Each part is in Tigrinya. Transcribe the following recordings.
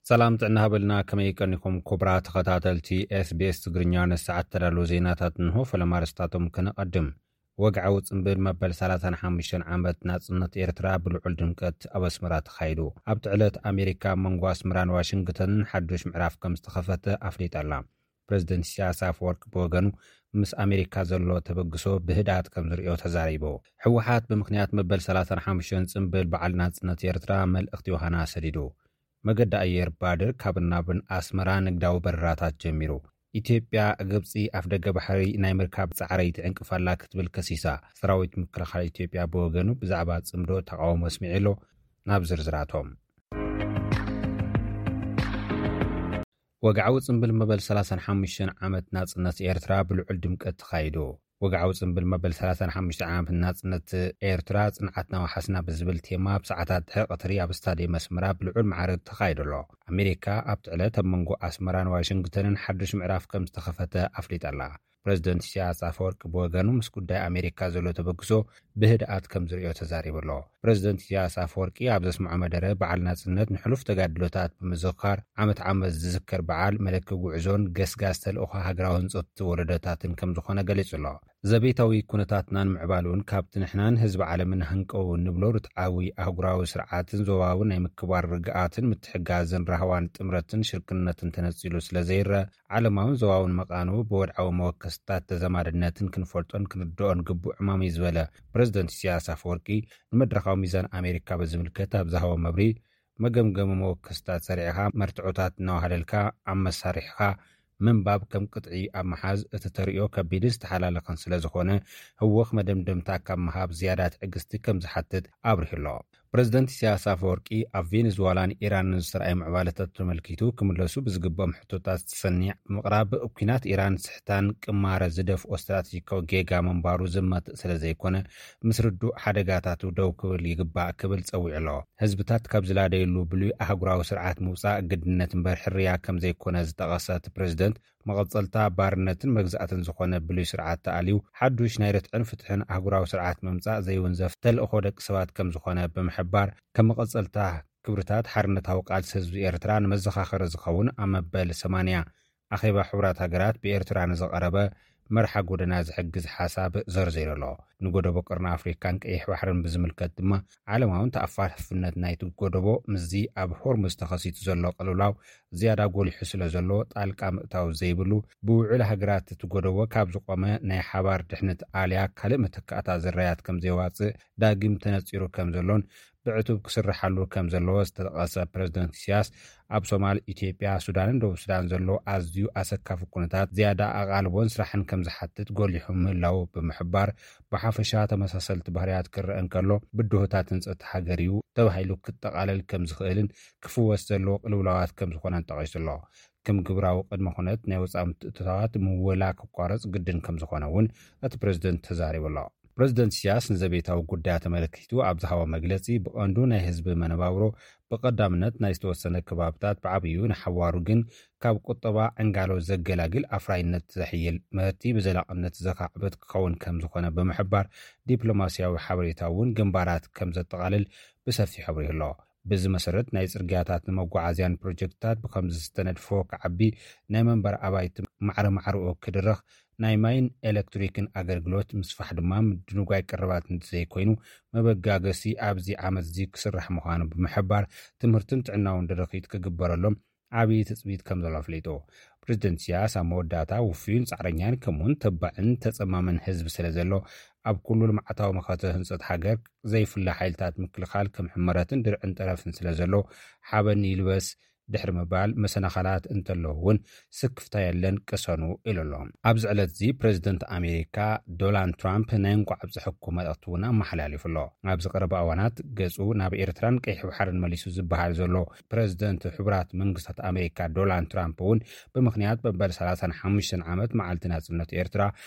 ሰላም ጥዕና ሃበልና፣ ከመይ ቀኒኹም ክቡራት ተኸታተልቲ ኤስቢኤስ ትግርኛ? ንሰዓት ተዳለዉ ዜናታት እንሆ። ፈለማ ኣርእስታቶም ከነቐድም። ወግዓዊ ጽምብል መበል ሰላሳን ሓሙሽተን ዓመት ናጽነት ኤርትራ ብልዑል ድምቀት ኣብ ኣስመራ ተኻይዱ። ኣብቲ ዕለት ኣሜሪካ ኣብ መንጎ ኣስመራን ዋሽንግተንን ሓዱሽ ምዕራፍ ከም ዝተኸፈተ ኣፍሊጣ ኣላ። ፕረዚደንት ኢሳያስ ኣፈወርቂ ብወገኑ፣ ምስ ኣሜሪካ ዘሎ ተበግሶ ብህድኣት ከም ዝርእዮ ተዛሪቡ። ህወሓት ብምኽንያት መበል ሰላሳን ሓሙሽተን ጽምብል በዓል ናጽነት ኤርትራ መልእኽቲ ዮሃና ሰዲዱ። መገዲ ኣየር ባድር ካብን ናብን ኣስመራ ንግዳዊ በረራታት ጀሚሩ። ኢትዮጵያ፣ ግብጺ ኣፍደገ ባሕሪ ናይ ምርካብ ጻዕሪ ትዕንቅፍ ኣላ ክትብል ከሲሳ። ሰራዊት ምክልኻል ኢትዮጵያ ብወገኑ ብዛዕባ ጽምዶ ተቃውሞ ኣስሚዑ ኣሎ። ናብ ዝርዝራቶም። ወግዓዊ ጽምብል መበል ሰላሳን ሓሙሽተን ዓመት ናጽነት ኤርትራ ብልዑል ድምቀት ተኻይዱ። ወግዓዊ ጽምብል መበል ሰላሳን ሓሙሽተ ዓመት ናጽነት ኤርትራ፣ ጽንዓትና ወሓስና ብዝብል ቴማ፣ ኣብ ሰዓታት ድሕሪ ቀትሪ ኣብ ስታድየም ኣስመራ ብልዑል ማዕረ ተኻይዱ ኣሎ። ኣሜሪካ ኣብቲ ዕለት ኣብ መንጎ ኣስመራን ዋሽንግተንን ሓዱሽ ምዕራፍ ከም ዝተኸፈተ ኣፍሊጣ ኣላ። ፕረዚደንት ኢሳያስ ኣፈወርቂ ብወገኑ፣ ምስ ጉዳይ ኣሜሪካ ዘሎ ተበግሶ ብህድኣት ከም ዝርእዮ ተዛሪቡ ኣሎ። ፕረዚደንት ኢሳያስ ኣፈወርቂ ኣብ ዘስምዖ መደረ፣ በዓል ናጽነት ንሕሉፍ ተጋድሎታት ብምዝኽኻር፣ ዓመት ዓመት ዝዝከር በዓል መለኪ ጉዕዞን ገስጋስ ተልእኾ ሃገራዊ ህንጸት ወለዶታትን ከም ዝኾነ ገሊጹ ኣሎ። ዘቤታዊ ኩነታትናን ምዕባሉን ካብቲ ንሕናን ህዝቢ ዓለምን ሃንቀው እንብሎ ርትዓዊ ኣህጉራዊ ስርዓትን ዞባዊ ናይ ምክባር ርግኣትን ምትሕጋዝን ራህዋን ጥምረትን ሽርክነትን ተነጺሉ ስለ ዘይረአ፣ ዓለማውን ዞባውን መቓንኡ ብወድዓዊ መወከስታት ተዘማድነትን ክንፈልጦን ክንርድኦን ግቡእ ዕማም እዩ ዝበለ ፕረዚደንት ኢሳያስ ኣፈወርቂ፣ ንመድረኻዊ ሚዛን ኣሜሪካ ብዝምልከት ኣብ ዝሃቦ መብርሂ፣ መገምገሚ መወከስታት ሰሪዕኻ፣ መርትዖታት እናወሃለልካ ኣብ መሳርሒኻ ምንባብ ከም ቅጥዒ ኣብ ምሓዝ፣ እቲ ተርእዮ ከቢድን ዝተሓላለኸን ስለ ዝኾነ፣ ህወኽ መደምደምታ ካብ ምሃብ ዝያዳ ትዕግስቲ ከም ዝሓትት ኣብሪሁ ኣሎ። ፕረዚደንት ኢሳያስ ኣፈወርቂ፣ ኣብ ቬኔዙዋላን ኢራንን ዝተራእየ ምዕባለታት ተመልኪቱ ክምለሱ ብዝግብኦም ሕቶታት ዝተሰኒዕ ብምቕራብ፣ ኲናት ኢራን ስሕታን ቅማረ ዝደፍኦ ስትራቴጂካዊ ጌጋ ምንባሩ ዘማትእ ስለ ዘይኮነ፣ ምስ ርዱእ ሓደጋታቱ ደው ክብል ይግባእ ክብል ጸዊዑ ኣሎ። ህዝብታት ካብ ዝላደየሉ ብሉይ ኣህጉራዊ ስርዓት ምውጻእ ግድነት እምበር ሕርያ ከም ዘይኮነ ዝጠቐሰ እቲ ፕረዚደንት፣ መቐጸልታ ባርነትን መግዛእትን ዝኾነ ብሉይ ስርዓት ተኣልዩ፣ ሓዱሽ ናይ ርትዕን ፍትሕን ኣህጉራዊ ስርዓት ምምጻእ ዘይውንዘፍ ተልእኾ ደቂ ሰባት ከም ዝኾነ ብምሕባር፣ ከም መቐጸልታ ክብርታት ሓርነታዊ ቃልሲ ህዝቢ ኤርትራ ንመዘኻኸሪ ዝኸውን ኣብ መበል ሰማንያ ኣኼባ ሕቡራት ሃገራት ብኤርትራ ንዝቐረበ መርሓ ጎደና ዝሕግዝ ሓሳብ ዘርዚሩ ኣሎ። ንጎደቦ ቀርኒ ኣፍሪካን ቀይሕ ባሕርን ብዝምልከት ድማ፣ ዓለማውን ተኣፋፍነት ናይቲ ጎደቦ ምስዚ ኣብ ሆርሙዝ ተኸሲቱ ዘሎ ቅልውላው ዝያዳ ጎሊሑ ስለ ዘሎ፣ ጣልቃ ምእታው ዘይብሉ፣ ብውዕል ሃገራት እቲ ጎደቦ ካብ ዝቖመ ናይ ሓባር ድሕነት ኣልያ ካልእ መተካእታ ዝረያት ከም ዘየዋጽእ ዳግም ተነጺሩ ከም ዘሎን ብዕቱብ ክስርሓሉ ከም ዘለዎ ዝተጠቐሰ ፕረዚደንት ኢሳያስ፣ ኣብ ሶማል፣ ኢትዮጵያ፣ ሱዳንን ደቡብ ሱዳን ዘሎ ኣዝዩ ኣሰካፊ ኩነታት ዝያዳ ኣቓልቦን ስራሕን ከም ዝሓትት ጎሊሑ ምህላው ብምሕባር፣ ብሓፈሻ ተመሳሰልቲ ባህርያት ክረአ እንከሎ፣ ብድሆታት ህንጸት ሃገር እዩ ተባሂሉ ክጠቓለል ከም ዝኽእልን ክፍወስ ዘለዎ ቅልውላዋት ከም ዝኾነን ጠቒሱ ኣሎ። ከም ግብራዊ ቅድመ ኩነት፣ ናይ ወጻኢ ምትእትታዋት ምወላ ክቋረጽ ግድን ከም ዝኾነ እውን እቲ ፕረዚደንት ተዛሪቡ ኣሎ። ፕረዚደንት ኢሳያስ ንዘቤታዊ ጉዳያት ተመልኪቱ ኣብ ዝሃቦ መግለጺ፣ ብቐንዱ ናይ ህዝቢ መነባብሮ፣ ብቐዳምነት ናይ ዝተወሰነ ከባብታት፣ ብዓብዩ ንሓዋሩ ግን ካብ ቁጠባ ዕንጋሎ ዘገላግል ኣፍራይነት ዘሕይል ምህርቲ ብዘላቕነት ዘኻዕብት ክኸውን ከም ዝኾነ ብምሕባር፣ ዲፕሎማስያዊ ሓበሬታ እውን ግንባራት ከም ዘጠቓልል ብሰፊሑ ኣብሪሁ ኣሎ። በዚ መሰረት፣ ናይ ጽርግያታት ንመጓዓዝያን ፕሮጀክትታት ብኸምዚ ዝተነድፎ ክዓቢ፣ ናይ መንበር ኣባይቲ ማዕረ ማዕረኡ ክድርኽ፣ ናይ ማይን ኤሌክትሪክን ኣገልግሎት ምስፋሕ ድማ ምድንጓይ ቀረባት እንተዘይኮይኑ፣ መበጋገሲ ኣብዚ ዓመት እዚ ክስራሕ ምዃኑ ብምሕባር፣ ትምህርትን ጥዕናውን ድርኺት ክግበረሎም ዓብዪ ትጽቢት ከም ዘሎ ኣፍሊጡ። ፕረዚደንት ኢሳያስ ኣብ መወዳእታ፣ ውፉይን ጻዕረኛን ከምኡውን ተባዕን ተጸማምን ህዝቢ ስለ ዘሎ፣ ኣብ ኩሉ ልምዓታዊ መኸተ ህንጸት ሃገር ዘይፍለ ሓይልታት ምክልኻል ከም ሕመረትን ድርዕን ጠረፍን ስለ ዘሎ፣ ሓበን ይልበስ ድሕሪ ምባል፣ መሰናኸላት እንተለዉ እውን ስክፍታ የለን፣ ቅሰኑ ኢሉ ኣሎ። ኣብዚ ዕለት እዚ ፕረዚደንት ኣሜሪካ ዶናልድ ትራምፕ ናይ እንኳዕ ኣብፀሐኩም መልእኽቲ እውን ኣመሓላሊፉ ኣሎ። ኣብዚ ቀረባ እዋናት ገፁ ናብ ኤርትራን ቀይሕ ባሕርን መሊሱ ዝበሃል ዘሎ ፕረዚደንት ሕቡራት መንግስታት ኣሜሪካ ዶናልድ ትራምፕ እውን ብምኽንያት መበል ሰላሳን ሓሙሽተን ዓመት መዓልቲ ናጽነት ኤርትራ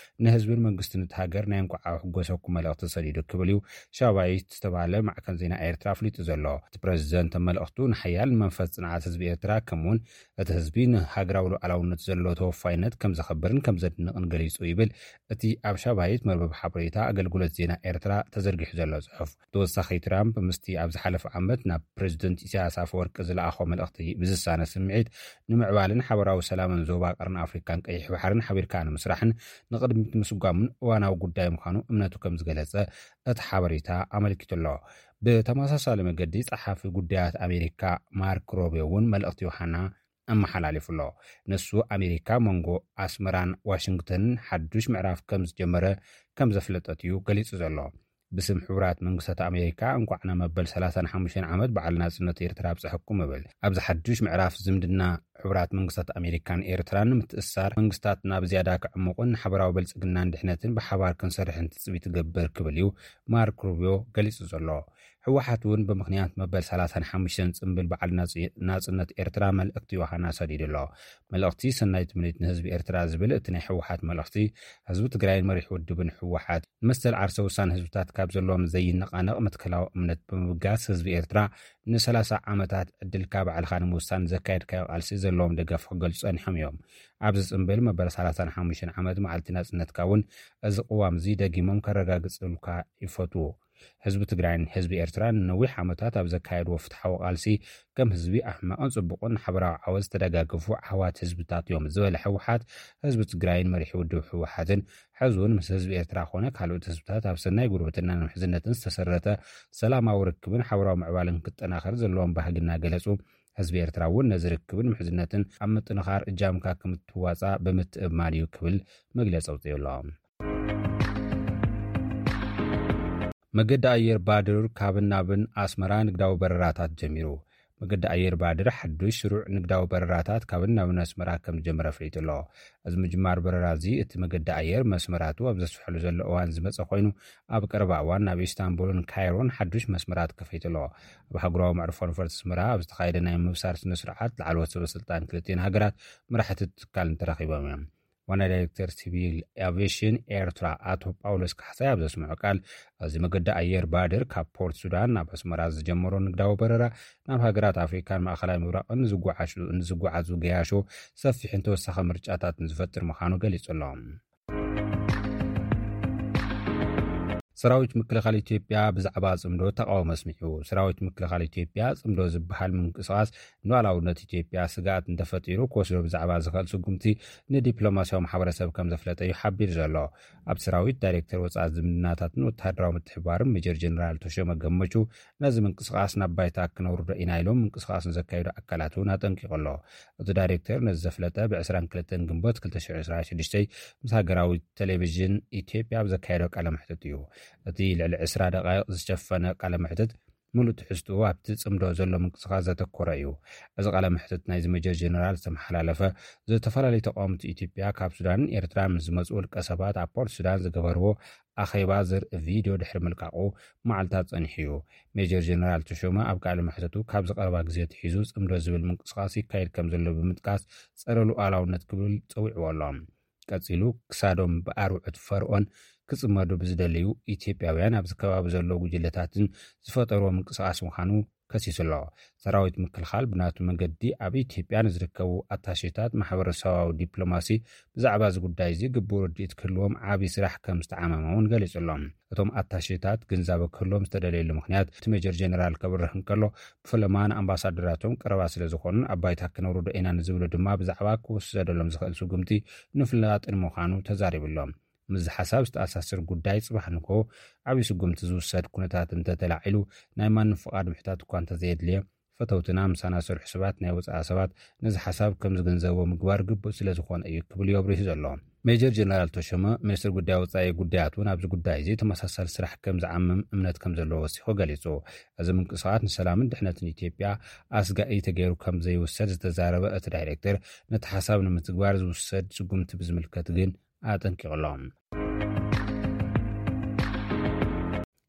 ንህዝብን መንግስትን እቲ ሃገር ናይ እንኳዕ ኣሕጎሰኩም መልእኽቲ ሰዲዱ ክብል እዩ ሻባይት ዝተባህለ ማዕከን ዜና ኤርትራ ኣፍሊጡ ዘሎ። እቲ ፕረዚደንት ኣብ መልእኽቱ ንሓያል መንፈስ ጽንዓት ህዝቢ ኤርትራ፣ ከምኡውን እቲ ህዝቢ ንሃገራዊ ሉዓላውነት ዘለዎ ተወፋይነት ከም ዘኸብርን ከም ዘድንቕን ገሊጹ ይብል እቲ ኣብ ሻባይት መርበብ ሓበሬታ ኣገልግሎት ዜና ኤርትራ ተዘርጊሑ ዘሎ ጽሑፍ። ተወሳኺ፣ ትራምፕ ምስቲ ኣብ ዝሓለፈ ዓመት ናብ ፕሬዚደንት ኢሳያስ ኣፈወርቂ ዝለኣኾ መልእኽቲ ብዝሳነ ስምዒት ንምዕባልን ሓበራዊ ሰላምን ዞባ ቀርኒ ኣፍሪካን ቀይሕ ባሕርን ሓቢርካ ንምስራሕን ንቕድሚት ምስጓምን እዋናዊ ጉዳይ ምዃኑ እምነቱ ከም ዝገለጸ እቲ ሓበሬታ ኣመልኪቱ ኣሎ። ብተመሳሳሊ መገዲ፣ ጸሓፊ ጉዳያት ኣሜሪካ ማርክ ሮቢዮ እውን መልእኽቲ ዮሃና ኣመሓላሊፉ ኣሎ። ንሱ፣ ኣሜሪካ መንጎ ኣስመራን ዋሽንግተንን ሓዱሽ ምዕራፍ ከም ዝጀመረ ከም ዘፍለጠት እዩ ገሊጹ ዘሎ። ብስም ሕቡራት መንግስታት ኣሜሪካ፣ እንኳዕ ናብ መበል ሰላሳን ሓሙሽተን ዓመት በዓል ናጽነት ኤርትራ ኣብጽሐኩም እብል። ኣብዚ ሓዱሽ ምዕራፍ ዝምድና ሕቡራት መንግስታት ኣሜሪካን ኤርትራን ንምትእሳር፣ መንግስታትና ብዝያዳ ክዕሙቕን ንሓበራዊ ብልጽግናን ድሕነትን ብሓባር ክንሰርሕን ትጽቢት ይገብር ክብል እዩ ማርክ ሩቢዮ ገሊጹ ዘሎ። ህወሓት እውን ብምኽንያት መበል ሰላሳን ሓሙሽተን ጽምብል በዓል ናጽ-፣ ናጽነት ኤርትራ መልእኽቲ ዮሃና ሰዲዱ ኣሎ። መልእኽቲ ሰናይ ትምኒት ንህዝቢ ኤርትራ ዝብል እቲ ናይ ህወሓት መልእኽቲ፣ ህዝቢ ትግራይን መሪሕ ውድብን ህወሓት ንመሰል ዓርሰ ውሳነ ህዝብታት ካብ ዘለዎም ዘይነቓነቕ መትከላዊ እምነት ብምብጋስ፣ ህዝቢ ኤርትራ ንሰላሳ ዓመታት ዕድልካ ባዕልኻ ንምውሳን ዘካየድካዮ ቃልሲ ዘለዎም ደገፍ ክገልጹ ጸኒሖም እዮም። ኣብዚ ጽምብል መበል ሰላሳን ሓሙሽተን ዓመት መዓልቲ ናጽነትካ እውን እዚ ቅዋም እዚ ደጊሞም ከረጋግጽልካ ይፈትዉ። ህዝቢ ትግራይን ህዝቢ ኤርትራን ንነዊሕ ዓመታት ኣብ ዘካየድዎ ፍትሓዊ ቃልሲ፣ ከም ህዝቢ ኣብ ሕማቕን ጽቡቕን ሓበራዊ ዓወት ዝተደጋገፉ ኣሕዋት ህዝብታት እዮም ዝበለ ህወሓት፣ ህዝቢ ትግራይን መሪሕ ውድብ ህወሓትን ሕዚ እውን ምስ ህዝቢ ኤርትራ ኮነ ካልኦት ህዝብታት ኣብ ሰናይ ጉርብትናን ምሕዝነትን ዝተሰረተ ሰላማዊ ርክብን ሓበራዊ ምዕባልን ክጠናኸር ዘለዎም ባህጊ እናገለጹ፣ ህዝቢ ኤርትራ እውን ነዚ ርክብን ምሕዝነትን ኣብ ምጥንኻር እጃምካ ከምትዋጻእ ብምትእምማን እዩ ክብል መግለጺ ኣውጺኡ ኣሎ። መገዲ ኣየር ባድር ካብን ናብን ኣስመራ ንግዳዊ በረራታት ጀሚሩ። መገዲ ኣየር ባድር ሓዱሽ ስሩዕ ንግዳዊ በረራታት ካብን ናብን ኣስመራ ከም ዝጀመረ ኣፍሊጡ ኣሎ። እዚ ምጅማር በረራ እዚ፣ እቲ መገዲ ኣየር መስመራቱ ኣብ ዘስፍሐሉ ዘሎ እዋን ዝመጸ ኮይኑ፣ ኣብ ቀረባ እዋን ናብ ኢስታንቡልን ካይሮን ሓዱሽ መስመራት ከፊቱ ኣሎ። ኣብ ኣህጉራዊ መዕርፎ ነፈርቲ ኣስመራ ኣብ ዝተኻየደ ናይ ምብሳር ስነ ስርዓት፣ ላዕለዎት ሰበ ስልጣን ክልቲኤን ሃገራት መራሕቲ ትካል ተረኺቦም እዮም። ዋና ዳይሬክተር ሲቪል ኣቪዬሽን ኤርትራ ኣቶ ጳውሎስ ካሕሳይ ኣብ ዘስምዖ ቃል፣ እዚ መገዲ ኣየር ባድር ካብ ፖርት ሱዳን ናብ ኣስመራ ዝጀመሮ ንግዳዊ በረራ፣ ናብ ሃገራት ኣፍሪካን ማእኸላይ ምብራቕን ንዝጓዓሹ-፣ ንዝጓዓዙ ገያሾ ሰፊሕን ተወሳኺ ምርጫታትን ዝፈጥር ምዃኑ ገሊጹ ኣሎ። ሰራዊት ምክልኻል ኢትዮጵያ ብዛዕባ ጽምዶ ተቓውሞ ኣስሚዑ። ሰራዊት ምክልኻል ኢትዮጵያ፣ ጽምዶ ዝበሃል ምንቅስቓስ ንሉዓላውነት ኢትዮጵያ ስግኣት እንተፈጢሩ፣ ክወስዶ ብዛዕባ ዝኽእል ስጉምቲ ንዲፕሎማስያዊ ማሕበረሰብ ከም ዘፍለጠ እዩ ሓቢሩ ዘሎ። ኣብ ሰራዊት፣ ዳይሬክተር ወጻኢ ዝምድናታትን ወተሃደራዊ ምትሕብባርን ሜጀር ጀነራል ተሾመ ገመቹ፣ ነዚ ምንቅስቓስ ናብ ባይታ ክነውርዶ ኢና ኢሎም ምንቅስቓስ ንዘካየዱ ኣካላት እውን ኣጠንቂቑ ኣሎ። እቲ ዳይሬክተር ነዚ ዘፍለጠ፣ ብ ዕስራን ክልተን ግንቦት ክልተ ሽሕን ዕስራን ሽዱሽተን ምስ ሃገራዊ ቴሌቪዥን ኢትዮጵያ ኣብ ዘካየዶ ቃለ መሕትት እዩ። እቲ ልዕሊ ዕስራ ደቃይቕ ዝሸፈነ ቃለ መሕትት፣ ምሉእ ትሕዝትኡ ኣብቲ ጽምዶ ዘሎ ምንቅስቓስ ዘተኮረ እዩ። እዚ ቃለ መሕትት ናይዚ ሜጀር ጀነራል ዝተመሓላለፈ፣ ዝተፈላለዩ ተቃወምቲ ኢትዮጵያ ካብ ሱዳንን ኤርትራን ምስ ዝመጹ ውልቀ ሰባት ኣብ ፖርት ሱዳን ዝገበርዎ ኣኼባ ዘርኢ ቪድዮ ድሕሪ ምልቃቑ መዓልታት ጸኒሑ እዩ። ሜጀር ጀነራል ተሾመ ኣብ ቃለ መሕትቱ፣ ካብዚ ቀረባ ግዜ ኣትሒዙ ጽምዶ ዝብል ምንቅስቓስ ይካየድ ከም ዘሎ ብምጥቃስ፣ ጸረ ሉዓላውነት ክብል ጸዊዕዎ ኣሎ። ቀጺሉ፣ ክሳዶም ብኣርዑት ፈርኦን ክጽመዱ ብዝደልዩ ኢትዮጵያውያን ኣብዚ ከባቢ ዘለዉ ጉጅለታትን ዝፈጠርዎ ምንቅስቓስ ምዃኑ ከሲሱ ኣሎ። ሰራዊት ምክልኻል ብናቱ መገዲ ኣብ ኢትዮጵያ ንዝርከቡ ኣታሼታት ማሕበረሰባዊ ዲፕሎማሲ ብዛዕባ እዚ ጉዳይ እዚ ግቡእ ርድኢት ክህልዎም ዓቢ ስራሕ ከም ዝተዓመመ እውን ገሊጹ ኣሎ። እቶም ኣታሼታት ግንዛበ ክህልዎም ዝተደለየሉ ምኽንያት፣ እቲ ሜጀር ጀነራል ከብርህ እንከሎ፣ ብፈለማ ንኣምባሳደራቶም ቀረባ ስለ ዝኾኑን ኣብ ባይታ ክነውርዶ ኢና ንዝብሉ ድማ ብዛዕባ ክውሰደሎም ዝኽእል ስጉምቲ ንፍላጥን ምዃኑ ተዛሪቡ ኣሎ። ምስዚ ሓሳብ ዝተኣሳሰር ጉዳይ፣ ጽባሕ ንግሆ ዓብዪ ስጉምቲ ዝውሰድ ኩነታት እንተተላዒሉ፣ ናይ ማንም ፍቓድ ምሕታት እኳ እንተዘየድልየ፣ ፈተውትና፣ ምሳና ዝሰርሑ ሰባት፣ ናይ ወጻኢ ሰባት ነዚ ሓሳብ ከም ዝግንዘብዎ ምግባር ግቡእ ስለ ዝኾነ እዩ ክብል እዩ ኣብሪሁ ዘሎ። ሜጀር ጀነራል ተሾመ፣ ሚኒስትር ጉዳይ ወጻኢ ጉዳያት እውን ኣብዚ ጉዳይ እዚ ተመሳሳሊ ስራሕ ከም ዝዓምም እምነት ከም ዘለዎ ወሲኹ ገሊጹ። እዚ ምንቅስቓስ ንሰላምን ድሕነትን ኢትዮጵያ ኣስጋኢ ተገይሩ ከም ዘይውሰድ ዝተዛረበ እቲ ዳይሬክተር፣ ነቲ ሓሳብ ንምትግባር ዝውሰድ ስጉምቲ ብዝምልከት ግን ኣጠንቂቑ ኣሎ።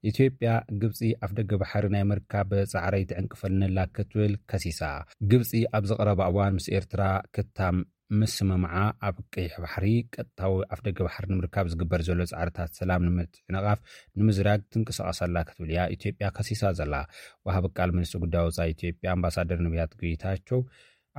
ኢትዮጵያ፣ ግብጺ ኣፍደገ ባሕሪ ናይ ምርካብ ጻዕረይ ትዕንቅፈኒ ኣላ ክትብል ከሲሳ። ግብጺ ኣብዚ ቀረባ እዋን ምስ ኤርትራ ክታም ምስምምዓ፣ ኣብ ቀይሕ ባሕሪ ቀጥታዊ ኣፍደገ ባሕሪ ንምርካብ ዝግበር ዘሎ ጻዕርታት ሰላም ንምትዕንቓፍ ንምዝራግ ትንቀሳቐስ ኣላ ክትብል እያ ኢትዮጵያ ከሲሳ ዘላ። ወሃቢ ቃል ሚኒስትሪ ጉዳይ ወጻኢ ኢትዮጵያ ኣምባሳደር ነቢያት ጌታቸው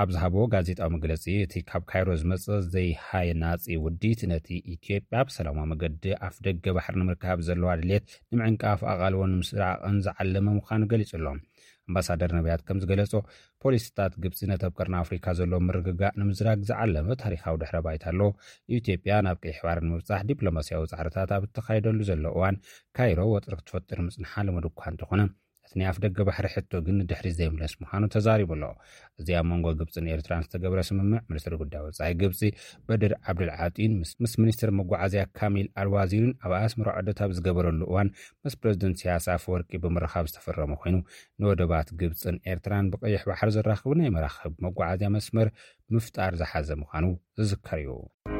ኣብ ዝሃብዎ ጋዜጣዊ መግለጺ፣ እቲ ካብ ካይሮ ዝመጸ ዘይሃናጺ ውዲት ነቲ ኢትዮጵያ ብሰላማዊ መገዲ ኣፍ ደገ ባሕሪ ንምርካብ ዘለዋ ድሌት ንምዕንቃፍ ኣቓልቦ ንምስራቕን ዝዓለመ ምዃኑ ገሊጹ ኣሎ። ኣምባሳደር ነቢያት ከም ዝገለጾ፣ ፖሊሲታት ግብጺ ነቲ ኣብ ቀርኒ ኣፍሪካ ዘሎ ምርግጋእ ንምዝራግ ዝዓለመ ታሪኻዊ ድሕረ ባይታ ኣሎ። ኢትዮጵያ ናብ ቀይሕ ባሕሪ ንምብጻሕ ዲፕሎማስያዊ ጻዕርታት ኣብ እተኻየደሉ ዘሎ እዋን፣ ካይሮ ወጥሪ ክትፈጥር ምጽንሓ ልሙድ እኳ እንተኾነ፣ እቲ ናይ ኣፍ ደገ ባሕሪ ሕቶ ግን ንድሕሪት ዘይምለስ ምዃኑ ተዛሪቡ ኣሎ። እዚ ኣብ መንጎ ግብጽን ኤርትራን ዝተገብረ ስምምዕ፣ ሚኒስትሪ ጉዳይ ወጻኢ ግብጺ በድር ዓብዱል ዓጢን ምስ፣ ምስ ሚኒስትር መጓዓዝያ ካሚል ኣልዋዚርን ኣብ ኣስመራ ዑደት ኣብ ዝገበረሉ እዋን፣ ምስ ፕረዚደንት ኢሳያስ ኣፈወርቂ ብምርኻብ ዝተፈረመ ኮይኑ፣ ንወደባት ግብጽን ኤርትራን ብቀይሕ ባሕሪ ዘራኽቡ ናይ መራኽብ መጓዓዝያ መስመር ምፍጣር ዝሓዘ ምዃኑ ዝዝከር እዩ።